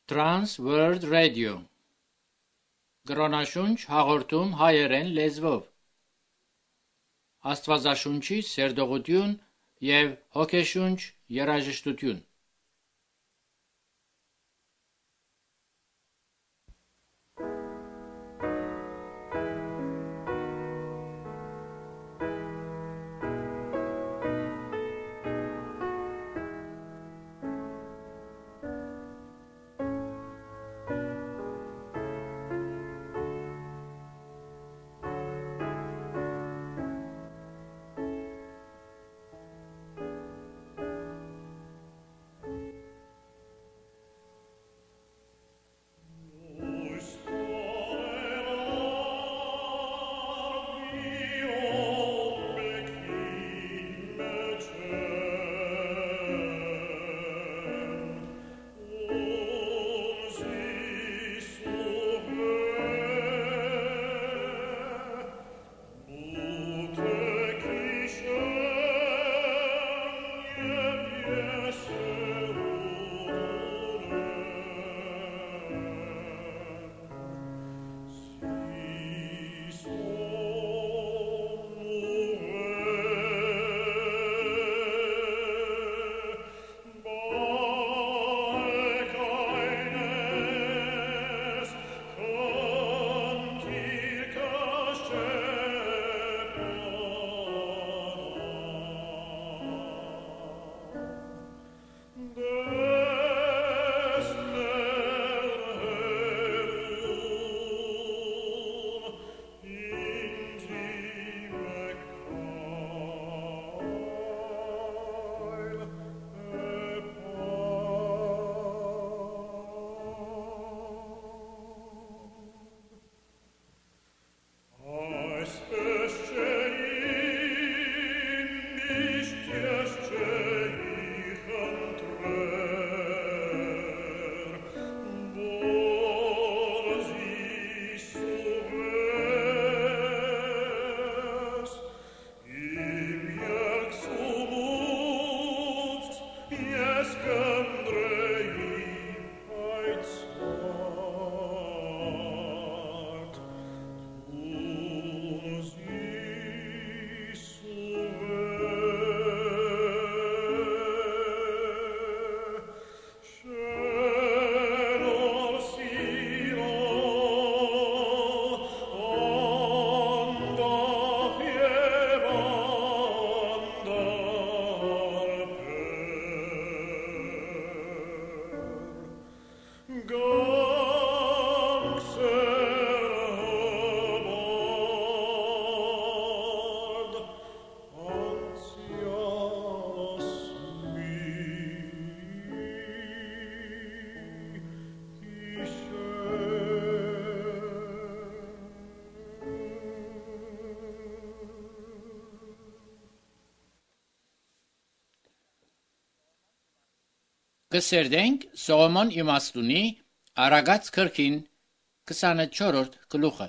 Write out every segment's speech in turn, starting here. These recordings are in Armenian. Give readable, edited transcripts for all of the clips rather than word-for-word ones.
Trans World Radio Գրոնաշունչ հաղորդում հայերեն լեզվով Աստվածաշունչի սերտողություն և հոգեշունչ երաժշտություն Կսերդենք Սողոմոն իմաստունի Արագած քրքին 24-րդ գլուխը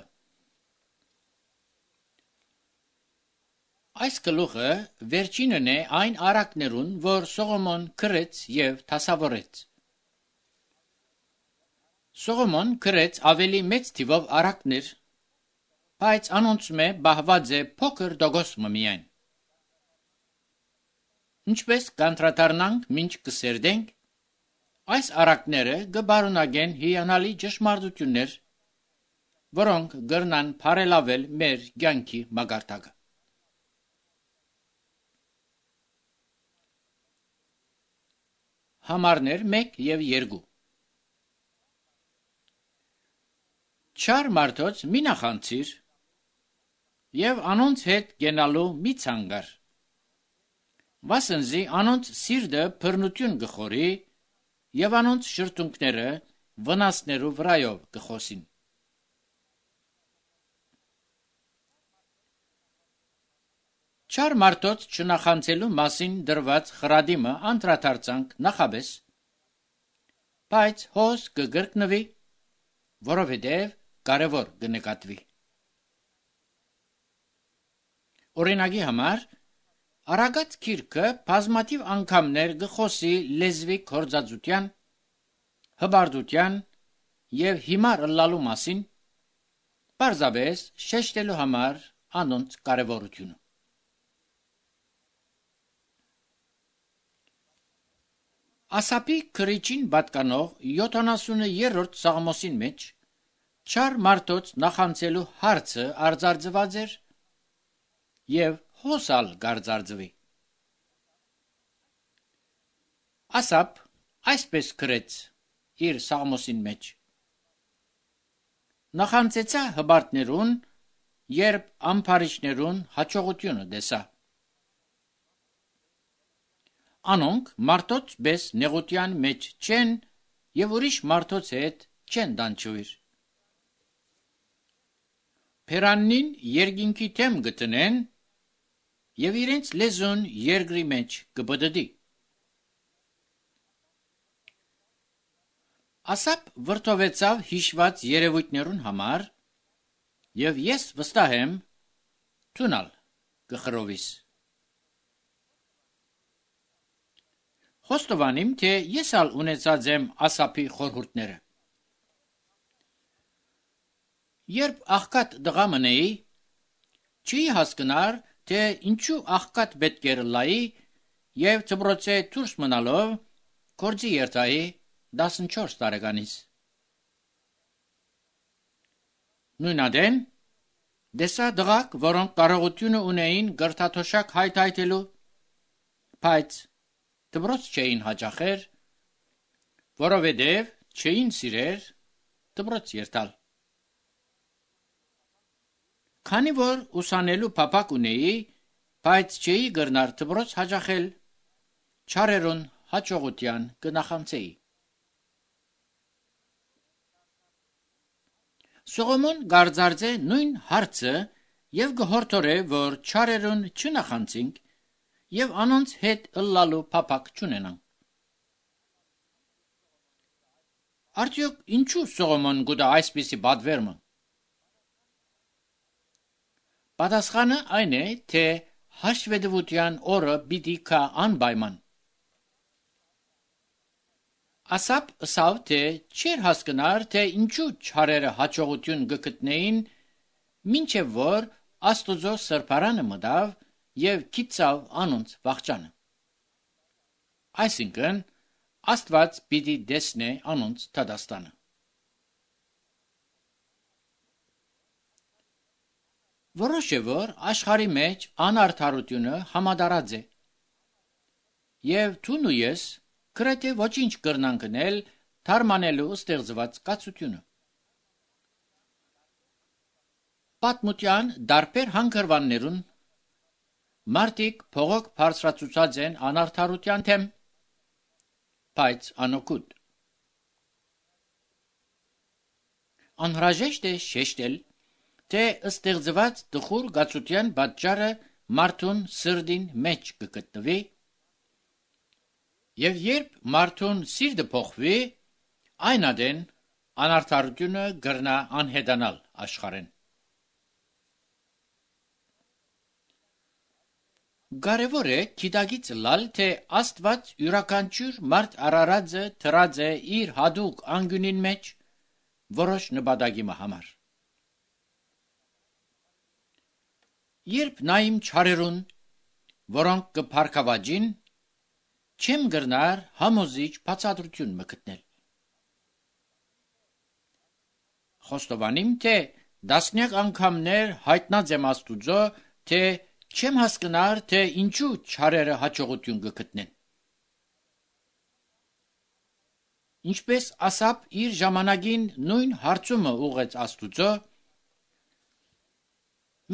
Այս գլուխը վերջինն է այն արակներուն, որ Սողոմոն գրեց և դասավորեց։ Սողոմոն գրեց ավելի մեծ թիվով արակներ, բայց անոնցմե բահված է փոքր դոգոսմը միայն։ Ինչպես կանտրադառնանք մինչ կսերդենք, այս արակները կբարունագեն հիանալի ճշմարտություններ, որոնք կրնան բարելավել մեր կյանքի մակարդակը։ Համարներ 1 և 2 Չար մարդոց մի նախանցիր և անոնց հետ գենալու մի ցանկար, վասնզի անոնց սիրտը բռնություն կխորի և անոնց շրթունքները վնասներու վրայով կխոսին։ Չար մարդոց չնախանցելու մասին դրված խրադիմը անդրադարձանք նախաբես, բայց հոս կգրկնվի, որովհետև կարևոր կնկատվի։ Օրինակի համար Արագած գիրքը բազմաթիվ անգամներ կխոսի լեզվի գործածության, հբարդության և հիմար ըլլալու մասին, պարզապես շեշտելու համար անոնց կարևորությունը։ Ասապի քրիչին պատկանող 70-րդ Սաղմոսին մեջ չար մարդոց նախանձելու հարցը արձարծված էր և հոսալ գարձարձվի։ Ասապ այսպես գրեց իր Սաղմոսին մեջ. նախանձեցա հբարդներուն, երբ ամփարիչներուն հաջողությունը տեսա։ Անոնք մարդոց պես նեղության մեջ չեն և ուրիշ մարդոց հետ չեն դանչվիր։ Փերաննին երկինքի թեմ գտնեն և իրենց լեզուն երկրի մեջ կբդդի։ Ասապ վրդովեցավ հիշված երևույթներուն համար և ես վստահ եմ թունալ կխրովիս։ Խոստովանիմ, թե ես ալ ունեցած եմ Ասապի խորհուրդները։ Երբ աղքատ տղա մնեի, չի հասկնար, թե ինչու աղքատ պետք էր լայի և դպրոցէ դուրս մնալով գործի երթայի 14 տարեկանից։ Նույնադեն տեսա տղաք, որոնք կարողությունը ունեին կրթաթոշակ հայթայթելու, բայց դպրոց չէին հաճախեր, որովհետև չէին սիրեր դպրոց երթալ։ Քանի որ ուսանելու փափակ ունեի, բայց չէի կրնար դպրոց հաճախել, չարերուն հաջողության կնախանձեի։ Սողոմոն գարձարձե նույն հարցը և գհորդորե, որ չարերուն չնախանձինք և անոնց հետ ըլլալու փափակ չունենանք։ Արդյոք ինչու Սողոմոն գուտա այսպիսի պատվերմը։ Պատասխանը այն է, թե հաշվետվության օրը պիտի գա անպայման։ Ասապ ըսավ, թե չէր հասկնար, թե ինչու չարերը հաջողություն կգտնեին, մինչև որ Աստուծո սրբարանը մտավ և գիտցավ անոնց վախճանը։ Այսինքն, Աստված պիտի տեսնե անոնց դատաստանը։ Որոշ է, որ աշխարհի մեջ անարդարությունը համատարած է, և դու ու ես գրեթե ոչինչ կրնանք անել թարմանելու ստեղծված կացությունը։ Պատմության տարբեր հանգրվաններուն մարդիկ փողոք բարձրացուցած են անարդարության դեմ, բայց անօգուտ։ Անհրաժեշտ է շեշտել, թե ստեղծված տխուր կացության պատճառը մարդուն սրտին մեջ կգտնվի, և երբ մարդուն սիրտը փոխվի, այն ադեն անարդարությունը կրնա անհետանալ աշխարհեն։ Կարևոր է գիտակից ըլլալ, թե Աստված յուրաքանչյուր մարդ արարածը դրած է իր հատուկ անկյունին մեջ որոշ նպատակի համար։ Երբ նայիմ չարերուն, որոնք կփառքավաճին, չեմ կրնար համոզիչ բացատրություն գտնել։ Խոստովանիմ, թե տասնյակ անգամներ հայտնած եմ Աստուծո, թե չեմ հասկնար, թե ինչու չարերը հաջողություն կգտնեն։ Ինչպես Ասապ իր ժամանակին նույն հարցումը ուղղեց Աստուծո,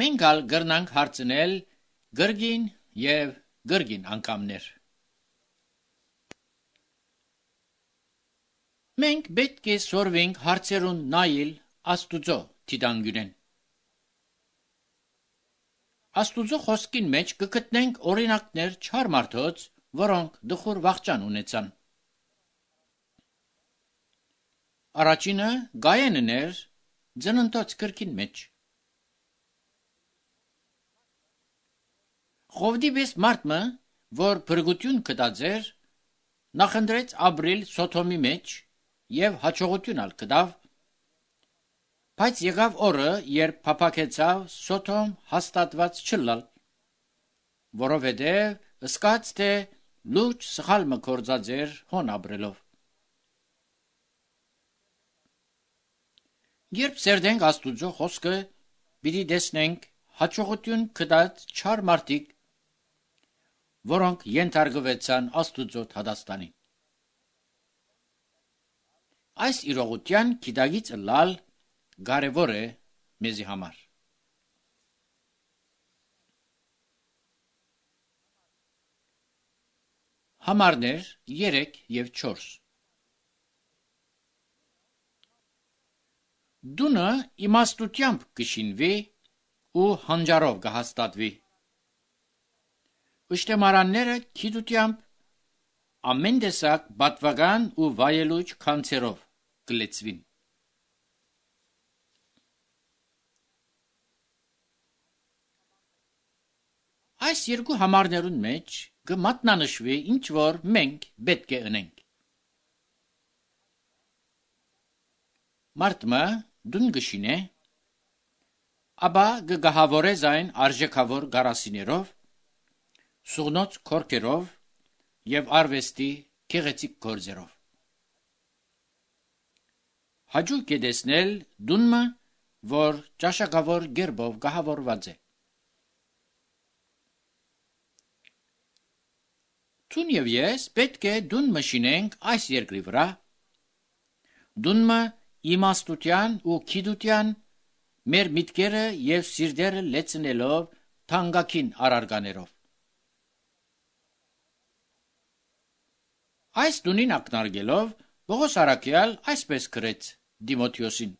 մենք ալ կրնանք հարցնել կրկին և կրկին անգամներ։ Մենք պետք է սորվենք հարցերուն նայել Աստուծո դիտանկյունեն։ Աստուծո խոսքին մեջ կգտնենք օրինակներ չար մարդոց, որոնք տխուր վախճան ունեցան։ Առաջինը Գայենն էր Ծննդոց գրքին մեջ։ Խովդի պես մարդը, որ փրկություն գտած էր, նախընտրեց ապրիլ Սոդոմի մեջ եւ հաջողություն կդավ, բայց եղավ օրը, երբ փափակեցավ Սոթոմ հաստատված չլալ, որովհետեւ ըսկաց թե լուրջ սխալ մը կործած էր հոն ապրելով։ Երբ սերդենք Աստուծո խոսքը, պիտի տեսնենք հաջողություն կդած չար մարդիկ, որոնք ենթարկվեցան Աստուծո հադաստանին։ Այս իրողության գիտագից լալ կարևոր է մեզի համար։ Համարներ 3 եւ 4 Դունը իմաստությամբ կշինվի ու հանջարով կհաստատվի։ Ուշտեմարանները գիտությամբ ամեն տեսակ բատվական ու վայելուչ քանցերով կլեցվին։ Այս երկու համարներուն մեջ կմատնանշվի ինչ որ մենք պետք է ընենք։ Մարդմը դուն գշինե, ապա գահավորե զայն արժեքավոր գարասիներով, սուղնոց քորքերով եւ արվեստի գեղեցիկ գործերով։ Հաջող է տեսնել դունը, որ ճաշակավոր գերբով գահավորված է։ Դուն եւ ես պետք է դուն մշինենք այս երկրի վրա։ Դունը իմաստության ու գիտության մեր միտքերը եւ սիրտերը լեցնելով թանկագին արարկաներով։ Այս դունին ակնարկելով Պողոս առաքյալ այսպես գրեց Դիմոթեոսին.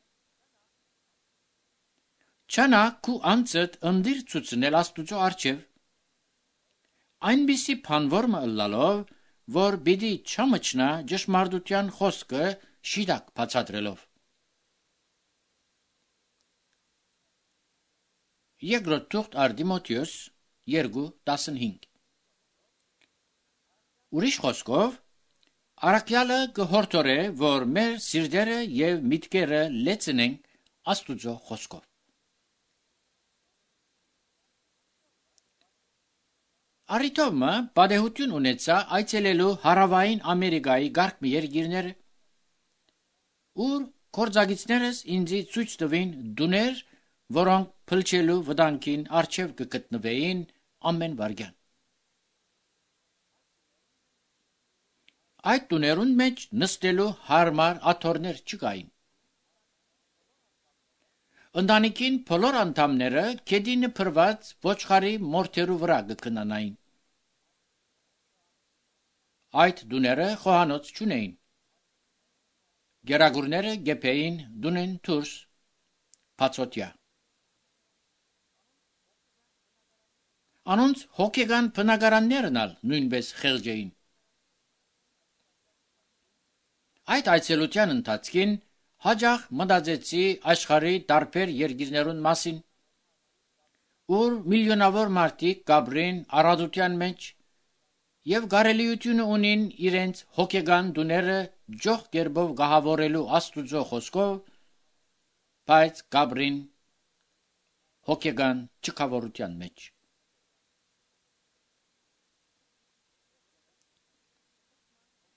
Չանա քու անցդ ընդիր ցուցնել Աստուծո առջև, այնպիսի բանվորմը ըլլալով, որ պիտի չմչնա ճշմարտության խոսքը շիտակ բացատրելով։ Երկրորդ թուղթ առ Դիմոթեոս 2:15 Ուրիշ խոսքով, առաքյալը կհորդորե, որ մեր սիրտերը եւ միտքերը լեցնենք Աստուծո խոսքով։ Արիթոմը պատեհություն ունեցա այցելելու Հարավային Ամերիկայի գարկ երկիրները, ուր կորձագիցներս ինձի ցույց տվին դուներ, որոնք փլչելու վտանգին առջև կգտնվեին ամեն վարքյան։ Այդ տուներուն մեջ նստելու հարմար աթոռներ չկային։ Ընտանիքին բոլոր անդամները գետինը փրված ոչխարի մորթերու վրա կքնանային։ Այդ դուները խոհանոց չունեին։ Գերագուրները գեփեին դունեն դուրս բացօթյա։ Անոնց հոգեգան բնակարաններն ալ նույնպես խեղճ էին։ Այդ այցելության ընթացքին հաջող մտածեցի աշխարհի տարբեր երկիրներուն մասին, ուր միլիոնավոր մարդիկ կաբրին առատության մեջ եւ կարելիությունը ունին իրենց հոգեգան դուները ջող կերպով գահավորելու Աստուծո խոսքով, բայց կաբրին հոգեգան չքավորության մեջ։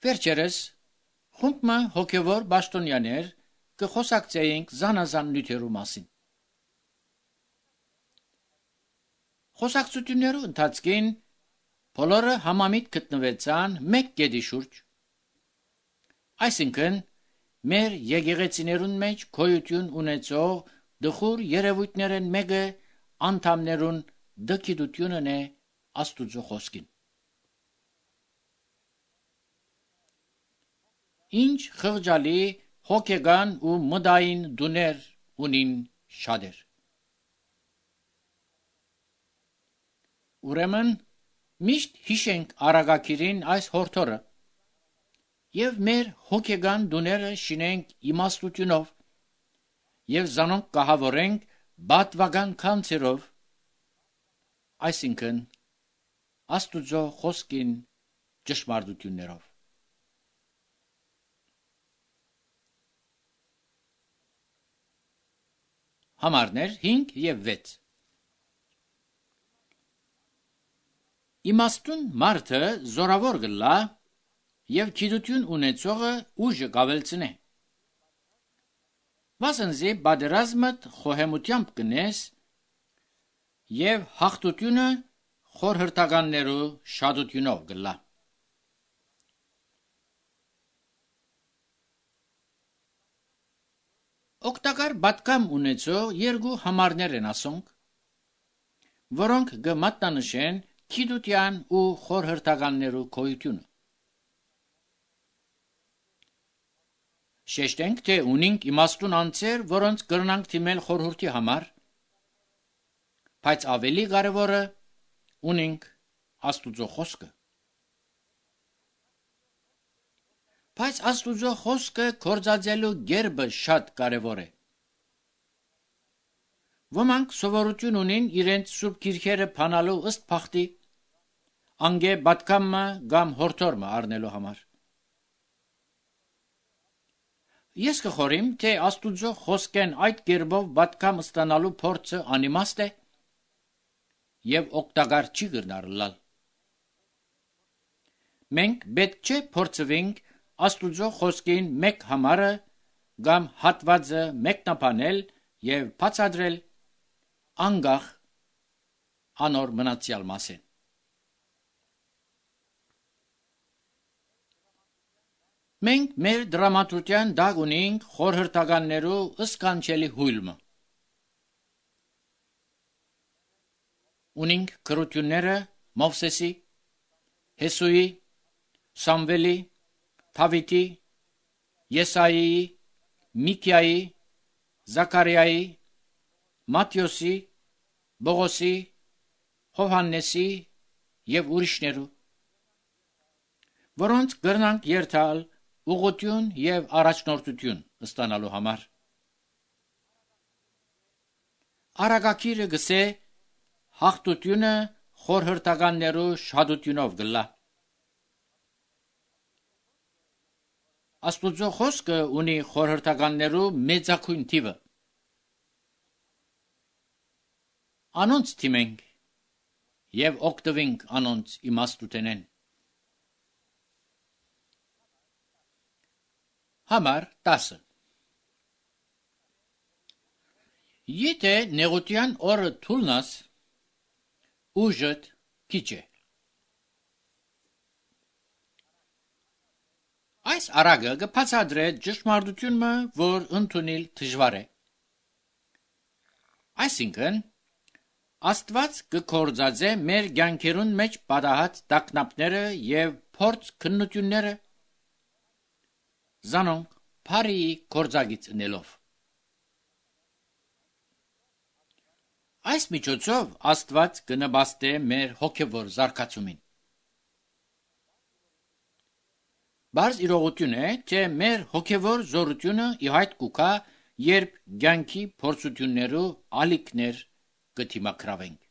Վերջերս խումբը հոգևոր պաշտոնյաներ կխոսակցեինք զանազան նյութերու մասին։ Խոսակցություններու ընթացքին բոլորը համամիտ գտնվեցան մեկ կետի շուրջ, այսինքն մեր եկեղեցիներուն մեջ գոյություն ունեցող դխուր երևույթներն մեկը անդամներուն դգիտությունն է Աստուծո խոսքին։ Ինչ խղճալի հոգեգան ու մտային դուներ ունին շատեր։ Ուրեմն միշտ հիշենք Արագակիրին այս հորդորը եւ մեր հոգեգան դուները շինենք իմաստությունով եւ զանոնք կահավորենք բատվական քանցերով, այսինքն Աստուծո խոսքին ճշմարտություններով։ Համարներ 5 և 6 Իմաստուն մարդը զորավոր գլա և գիտություն ունեցողը ուժը կավելցնե։ Վասնզի պատերազմդ խոհեմությամբ կնես և հաղթությունը խորհրդականներու շատությունով գլա։ Օգտակար պատկամ ունեցող երկու համարներ են ասոնք, որոնք կմատնանշեն գիտության ու խորհրդականներու գոյությունը։ Շեշտենք, թե ունենք իմաստուն անձեր, որոնց կրնանք թիմել խորհրդի համար, բայց ավելի կարևորը ունենք Աստուծո խոսքը։ Բայց Աստուծո խոսքը գործածելու կերպը շատ կարևոր է։ Ոմանք սովորություն ունին իրենց սուրբ գիրքերը բանալու ըստ բախտի, անգե պատկամը կամ հորդորմը առնելու համար։ Ես կխորիմ, թե Աստուծո խոսքեն այդ կերպով պատկամ ստանալու փորձը անիմաստ է և օգտակար չի կրնարլալ։ Մենք պետք չէ փորձվենք Աստուծո խոսքին մեկ համարը կամ հատվածը մեկնաբանել և բացատրել անգախ անոր մնացյալ մասեն։ Մենք մեր դրամատուրգիան դակ ունենք խորհրդականներու սքանչելի հույլմը։ Ունենք գրությունները Մովսեսի, Հեսուի, Սամվելի, Դավիթի, Եսայիի, Միքիայի, Զաքարիայի, Մատթեոսի, Բողոսի, Հովհաննեսի և ուրիշներու, որոնց կրնանք երթալ ուղղություն և առաջնորդություն ստանալու համար։ Արագակիրը գսե հաղթությունը խորհրդականներու շատությունով գլա։ Աստուծո խոսքը ունի խորհրդականներու մեծագույն թիվը։ Անոնց թիմենք և օգտվենք անոնց իմաստութենեն։ Համար 10 Եթե նեղության օրը թուլնաս, ուժդ քիչ է։ Այս արագը կբացատրե ճշմարտությունը, որ ընդունել դժվար է։ Այսինքն, Աստված կգործածե մեր կյանքերուն մեջ պատահած տագնապները և փորձ քննությունները, զանոնք բարիի գործակից ընելով։ Այս միջոցով Աստված կնպաստե մեր հոգևոր զարգացումին։ Բարձ իրողություն է, թե մեր հոգևոր զորությունը ի հայտ կուքա, երբ կյանքի փորձություններու ալիքներ կդիմակրավենք։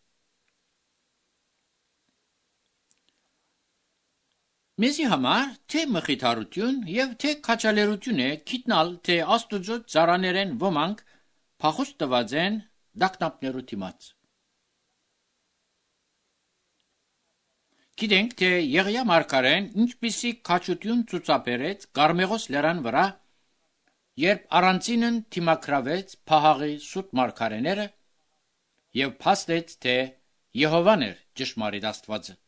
Մեզի համար թե մխիթարություն և թե քաջալերություն է գիտնալ, թե Աստուծո ծառաներեն ոմանք փախուստ տված են տագնապներու դիմաց։ Գիտենք, թե Եղիա մարգարեն ինչպիսի քաջություն ցուցաբերեց Կարմեղոս լեռան վրա, երբ առանցինն դիմակրավեց Փահաղի սուտ մարգարեները և փաստեց, թե Եհովան էր ճշմարիտ Աստվածը։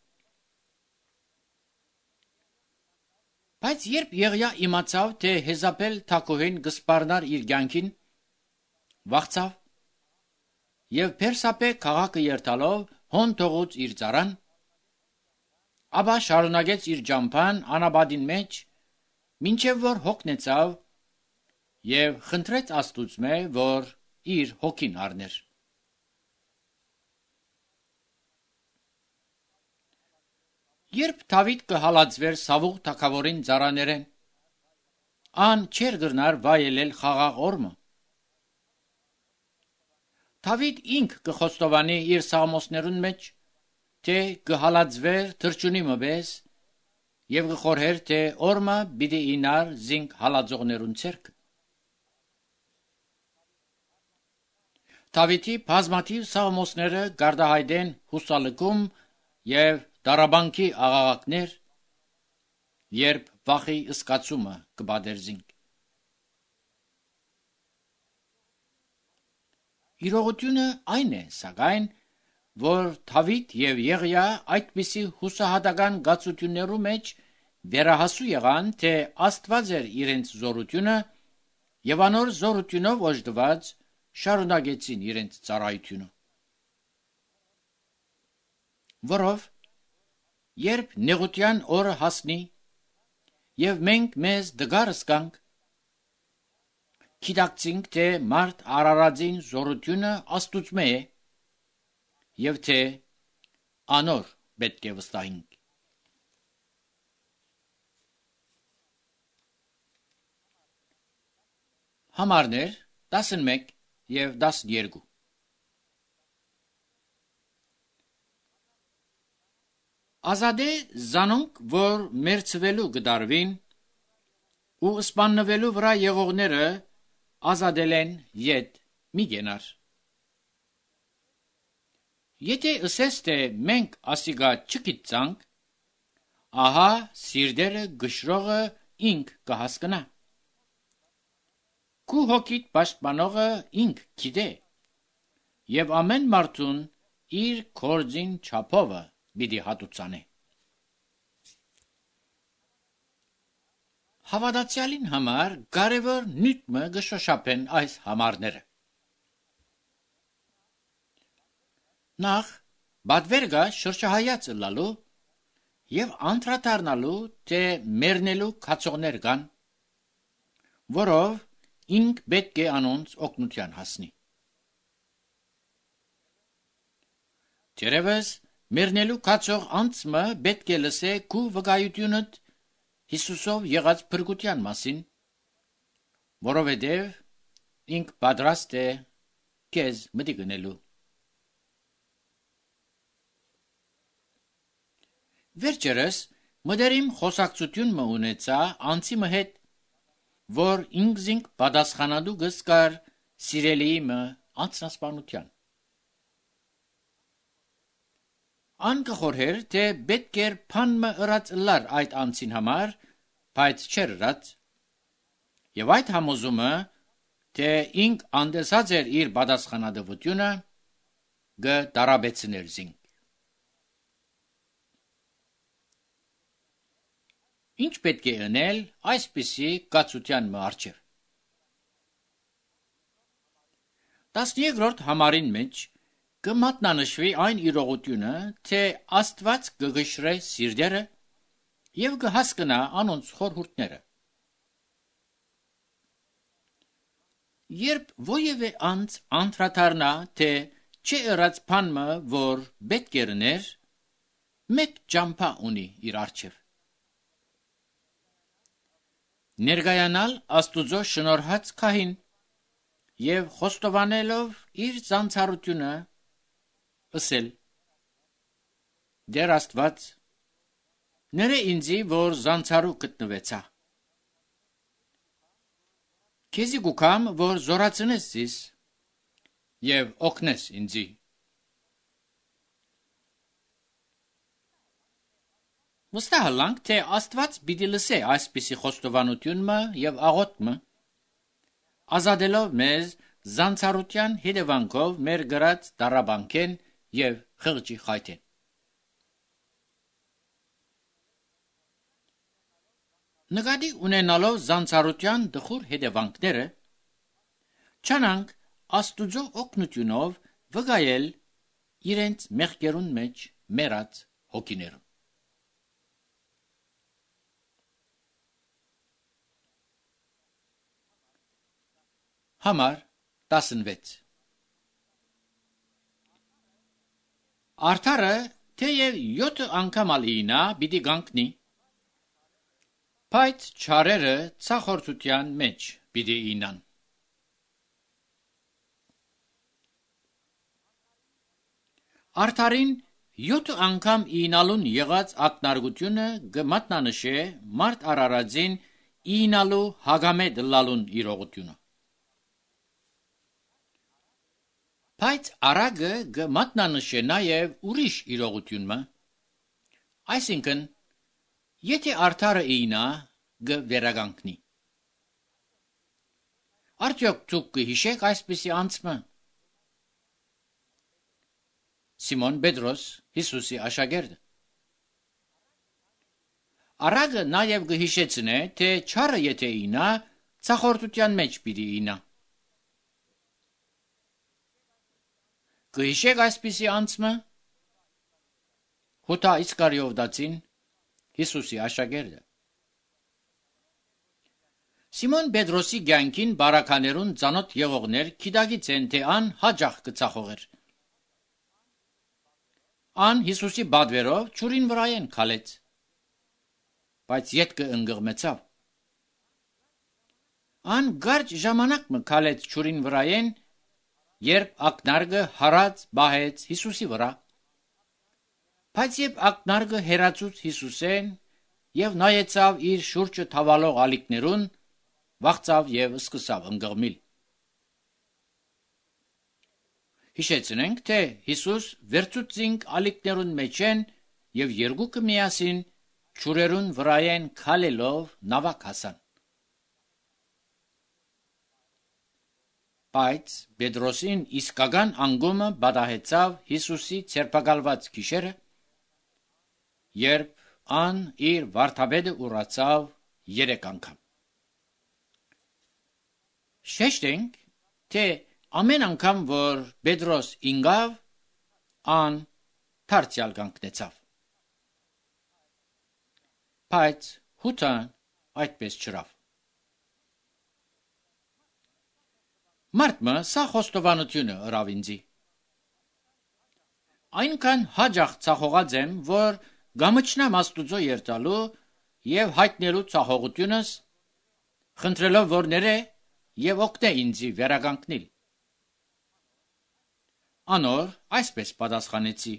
Բայց երբ Եղիա իմացավ, թե Հեզաբել թագուհին կսպառնար իր կյանքին, վախցավ և Բերսաբե քաղաքը երթալով հոն թողուց իր ծառան, ապա շարունակեց իր ճամփան անապատին մեջ, մինչև որ հոգնեցավ և խնդրեց Աստուծմե, որ իր հոգին առներ։ Երբ Դավիթ կհալածվեր Սավուղ թագավորին ծառաներեն, ան չէր գրնար վայելել խաղաղ օրմը։ Դավիթ ինք կխոստովանի իր սաղմոսներուն մեջ, թե կհալածվեր թրջունի մպես և կխորհեր, թե օրմը պիտի ինար զինք հալածողներուն ցերկը։ Դավիթի բազմաթիվ սաղմոսները գարդահայտեն հուսալքում եւ դարաբանքի աղաղակներ, երբ վախի սկացումը կբادرզինք։ Իրողությունը այն է, սակայն, որ Դավիթ եւ Եղիա այդպիսի հուսահատական գացություններու մեջ վերահասու եղան, թե Աստված էր իրենց զորությունը եւ անոր զորությունով օժտված շարունակեցին իրենց ծառայությունը։ Որով երբ նեղության օրը հասնի եւ մենք մեզ դգարս կանք, գիտակցինք, թե մարդ Արարածին զորությունը Աստուծմե է եւ թե անոր պետք է վստահենք։ Համարներ 11 եւ 12 Ազադե զանոնք, որ մերցվելու գդարվին ու սպաննվելու վրա եղողները ազադել են ետ մի գենար։ Եթե ըսես, թե մենք ասիգա չգիտցանք, ահա սիրդերը գշրողը ինք կհասկնա։ Քու հոգիտ պաշտպանողը ինք գիտե, եւ ամեն մարդուն իր կորձին չափովը պիտի հատուցանե։ Հավատացյալին համար կարևոր նյութը գշոշափեն այս համարները։ Նախ բադվերգա շրջահայաց լալու եւ անդրադառնալու, թե մեռնելու քացողներ կան, որով ինք պետք է անոնց օգնության հասնի։ Թերևս մեռնելու քացող անձը պետք է լսե քու վկայությունդ Հիսուսով եղած փրկության մասին, որովհետև ինք պատրաստ է քեզ մտի գնելու։ Վերջերս մդերիմ խոսակցություն ունեցա անցի հետ, որ ինքզինք պատասխանադու գսկար սիրելիի անձնասպանության։ Անկխորհեր, թե պետք էր փանմը ըրած լար այդ անցին համար, բայց չեր ըրած, եւ այդ համոզումը, թե ինք անդեսած էր իր պատասխանատվությունը, գդարաբեցներ զինք։ Ինչ պետք է անել այսպիսի կացության առջև։ 13-րդ համարին մեջ կմատնանշվի այն իրողությունը, թե Աստված կգշրե սիրտերը եւ կհասկնա անոնց խորհուրդները։ Երբ ովևէ անձ անդրադառնա, թե չի ըրած բանը, որ պետք է լներ, մեկ ճամփա ունի իր առջև։ Ներգայանալ Աստուծո շնորհած քահին եւ խոստովանելով իր զանցարությունը ըսել. Դեր Աստված, ները ինձի, որ զանցարու գտնվեցա։ Քեզի գուքամ, որ զորացնես զիս եւ օգնես ինձի։ Վստահ թե Աստված պիտի լսե այսպիսի խոստովանությունը եւ աղոթքը, ազատելով մեզ զանցարության հետևանքով մեր գրած դարաբանքեն եւ խղճի խայթեն։ Նկատի ունենալով զանցարության դխուր հետևանքները, չանանք Աստուծո օգնությունով վկայել իրենց մեղքերուն մեջ մեռած հոգիներուն։ Համար 16 Արդարը թեև 7 անգամ ալինա պիտի գանքնի, բայց չարերը ցախորտության մեջ պիտի ինան։ Արդարին 7 անգամ ինալուն եղած ակնարկությունը գմատնանշե մարդ Արարածին ինալու հագամետ լալուն իրողությունը։ Բայց արագը գմատնանշե նաև ուրիշ իրողությունը, այսինքն, եթե արդարը ինա գվերագանքնի։ Արդյոք դուք կհիշեք այսպիսի անցմը։ Սիմոն Պետրոս, Հիսուսի աշակերտը։ Արագը նաև գհիշեցնե, թե չարը եթե ինա, ցախորդության մեջ պիտի ինա։ Կհիշեք այսպիսի անցմը։ Հոթա Իսկարիովտացին, Հիսուսի աշակերտը։ Սիմոն Պետրոսի կյանքին բարականերուն ծանոթ եղողներ գիտակից են, թե ան հաճախ կծախողեր։ Ան Հիսուսի բադվերով ճուրին վրայեն քալեց, բայց ետքը ընկղմեցավ։ Ան գարջ ժամանակ մը քալեց ճուրին վրայեն, երբ ակնարկը հարած բահեց Հիսուսի վրա։ Բայց երբ ակնարկը հերացուց Հիսուսեն եւ նայեցավ իր շուրջը թավալող ալիքներուն, վախծավ եւ սկսավ ընկղմիլ։ Հիշեցնենք, թե Հիսուս վերցուցինք ալիքներուն մեջ են եւ երկուքը միասին ճուրերուն վրայեն քալելով նավակ հասան։ Բայց Պետրոսին իսկական անգումը բադահեցավ Հիսուսի ցերպակալված գիշերը, երբ ան իր վարդապետը ուրացավ 3 անգամ։ Շեշտենք, թե ամեն անգամ, որ Պետրոս ինգավ, ան դարձյալ կանգնեցավ։ Բայց հութան այդպես չրավ։ Մարդը սա խոստովանությունը ըրավ ինձի։ Այնքան հաճախ ցախողած եմ, որ գամչնամ Աստուծո երթալու եւ հայտնելու ցախողությունս, խնդրելով որ ները եւ օգնե ինձի վերականգնել։ Անոր այսպես պատասխանեցի.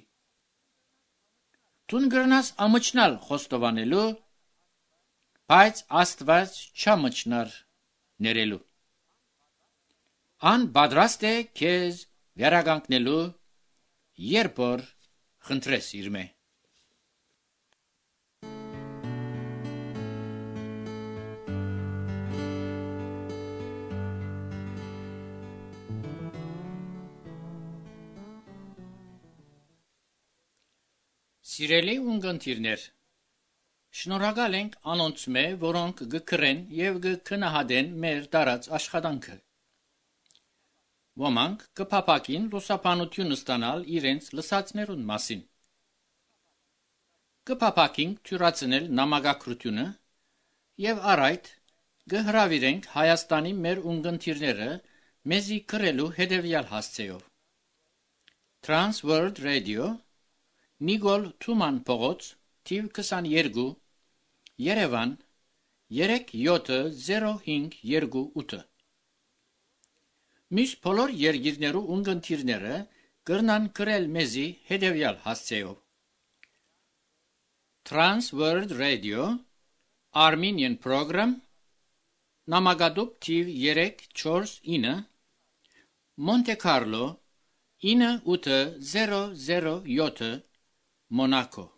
Դու գրնաս ամչնալ խոստովանելու, բայց Աստված չամչնար ներելու։ Ան պատրաստ է քեզ վերականգնելու, երբ որ խնդրես իր մե։ Սիրելի ունգընտիրներ, շնորհակալ ենք անոնց մե, որոնք գկրեն եւ գքնահատեն մեր տարած աշխատանքը։ Ոմանք կփապակին լուսապանություն ստանալ իրենց լսածներուն մասին։ Կփապակին թյուրացնել նամակագրությունը եւ առայդ գհրավիրենք Հայաստանի մեր ունգընտիրները մեզի կրելու հետևյալ հասցեով։ Trans World Radio, Նիկոլ Թուման փողոց, թիվ 22, Երևան 370528։ Մյուս բոլոր երկիրներու ունգընտիրները կրնան կրել մեզի հետևյալ հասցեով։ Trans World Radio, Armenian Program, նամակադուպ թիվ 349, Monte Carlo 98007, Monaco։